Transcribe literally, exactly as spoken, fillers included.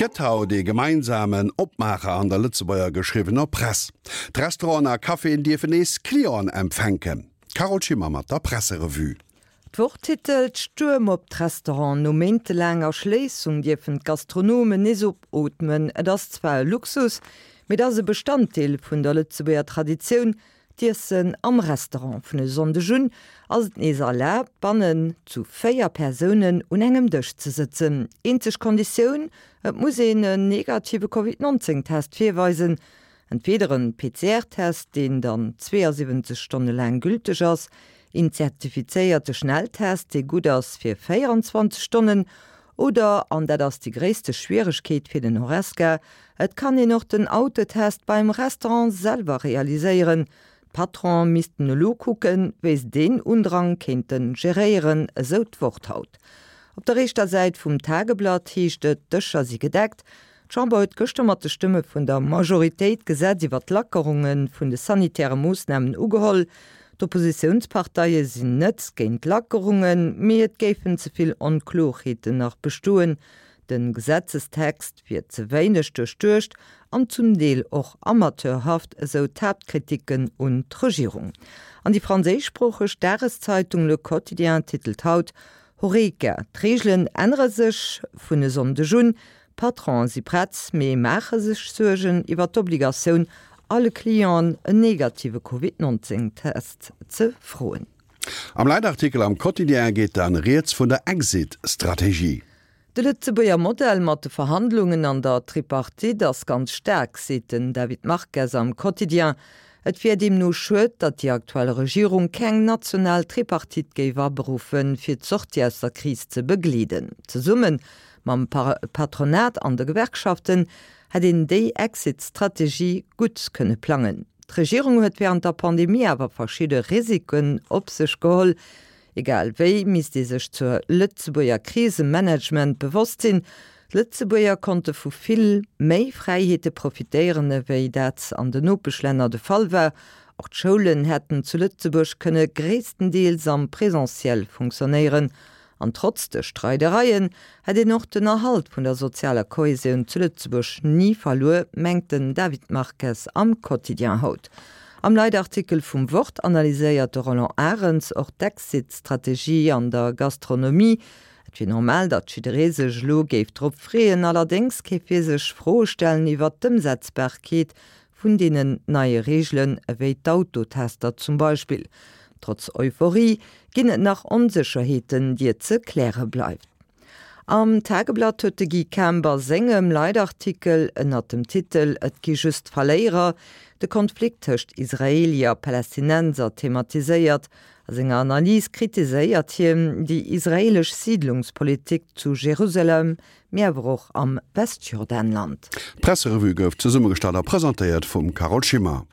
gëtt haut ee gemeinsamen Opmaacher an der Lëtzebuerger geschriwwener Press. D'Restauranten a Caféen dierfen nees Clienten empfänken. D'Carole Schimmer mat der Presserevue. D'Wort titelt, Stuerm op d'Restauranten, no méintelaanger Schléissung dierfen d'Gastronomen nees opootmen. Et ass zwar e Luxus, mee et ass e Bestanddeel vun der Lëtzebuerger Traditioun, d'Iessen am Restaurant. Vun e Sonndeg un ass et nees erlaabt, bannen zu véier Persounen un engem Dësch ze sëtzen. Eenzeg Konditioun, Et muss een en negative Covid nonzéng Test virweisen, entweeder en P C R-Test, deen dann zweeënsiwwenzeg Stonne laang gülteg ass, een zertifizéierte Schnelltest, dee gutt ass fir véierundzwanzeg Stonnen, oder, an dat ass déi gréisste Schwieregkeet fir den Horesca, et kann een och den Autotest beim Restaurant selwer realiséieren. D'Patronen missten elo kucken, wéi se deen Undrang kéinte geréieren, esou d'Wort haut. Op der éischter Säit vum Tageblatt heescht et, d'Dëscher si gedeckt. D'Chamber huet gëschter mat de Stëmme vun der Majoritéit d'Gesetz iwwer d'Lackerunge vun de sanitäre Moossnamen ugeholl. D'Oppositiounsparteie sinn net géint d'Lackerungen, mee et géifen ze vill Onklorheeten nach bestoen. De Gesetzestext wier ze wéineg duerchduecht an zum Deel och amateurhaft, esou d'Haaptkriticken un d'Regierung. An déi franséischsproocheg Dageszeitung Le Quotidien titelt haut, Horeca, D'Reegelen ännere sech vun e Sonndeg un. D'Patronen si prett, mee maache sech Suergen iwwer d'Obligatioun, alle Clienten en negative Covid nonzéng Test ze froen. Am Leitartikel am Quotidien geet dann rieds vun der Exit-Strategie. De Lëtzebuerger Modell mat de Verhandlungen an der Tripartite ass ganz staark, seet den David Marques am Quotidien. Et wier deemno schued, datt déi aktuell Regierung keng national Tripartite géif aberuffen, fir d'Sortie aus der Kris ze begleeden. Zesumme mam Patronat an de Gewerkschaften hätt een déi Exit-Strategie gutt kënne plangen. D'Regierung huet wärend der Pandemie awer verschidde Risiken op sech geholl. Egal wéi misst ee sech zur Lëtzebuerger Krisemanagement bewosst sinn. D'Lëtzebuerger konnte vu vill méi Fräiheete profitéieren, ewéi dat an den Nopeschlänner de Fall war. Och d'Schoulen hätten zu Lëtzebuerg kënne gréisstendeels am Presentiel funktionéieren. An trotz de Streidereien hätt een och den Erhalt vun der sozialer Kohesioun zu Lëtzebuerg ni verluer, mengt den David Marques am Quotidien haut. Am Leitartikel vum Wort analyséiert de Roland Arens och d'Exit-Strategie an der Gastronomie. Et wier normal, datt jidderee sech elo géif drop freeën, allerdéngs kéif hie sech Froe stellen iwwer d'Ëmsetzbarkeet vun deenen neie Reegelen, ewéi d'Autotester zum Beispill. Trotz Euphorie ginn et nach Onsécherheeten, déi et ze kläre bleift. Am Tageblatt huet de Guy Kemp a sengem Leitartikel ënnert dem Titel Et gi just Verléierer de Konflikt tëscht Israeelier a Palästinenser thematiséiert. A senger Analys kritiséiert hien déi israeelesch Siidlungspolitik zu Jerusalem, mee awer och am Westjordanland. D'Presserevue gouf zesummegestallt a presentéiert vum Carole Schimmer.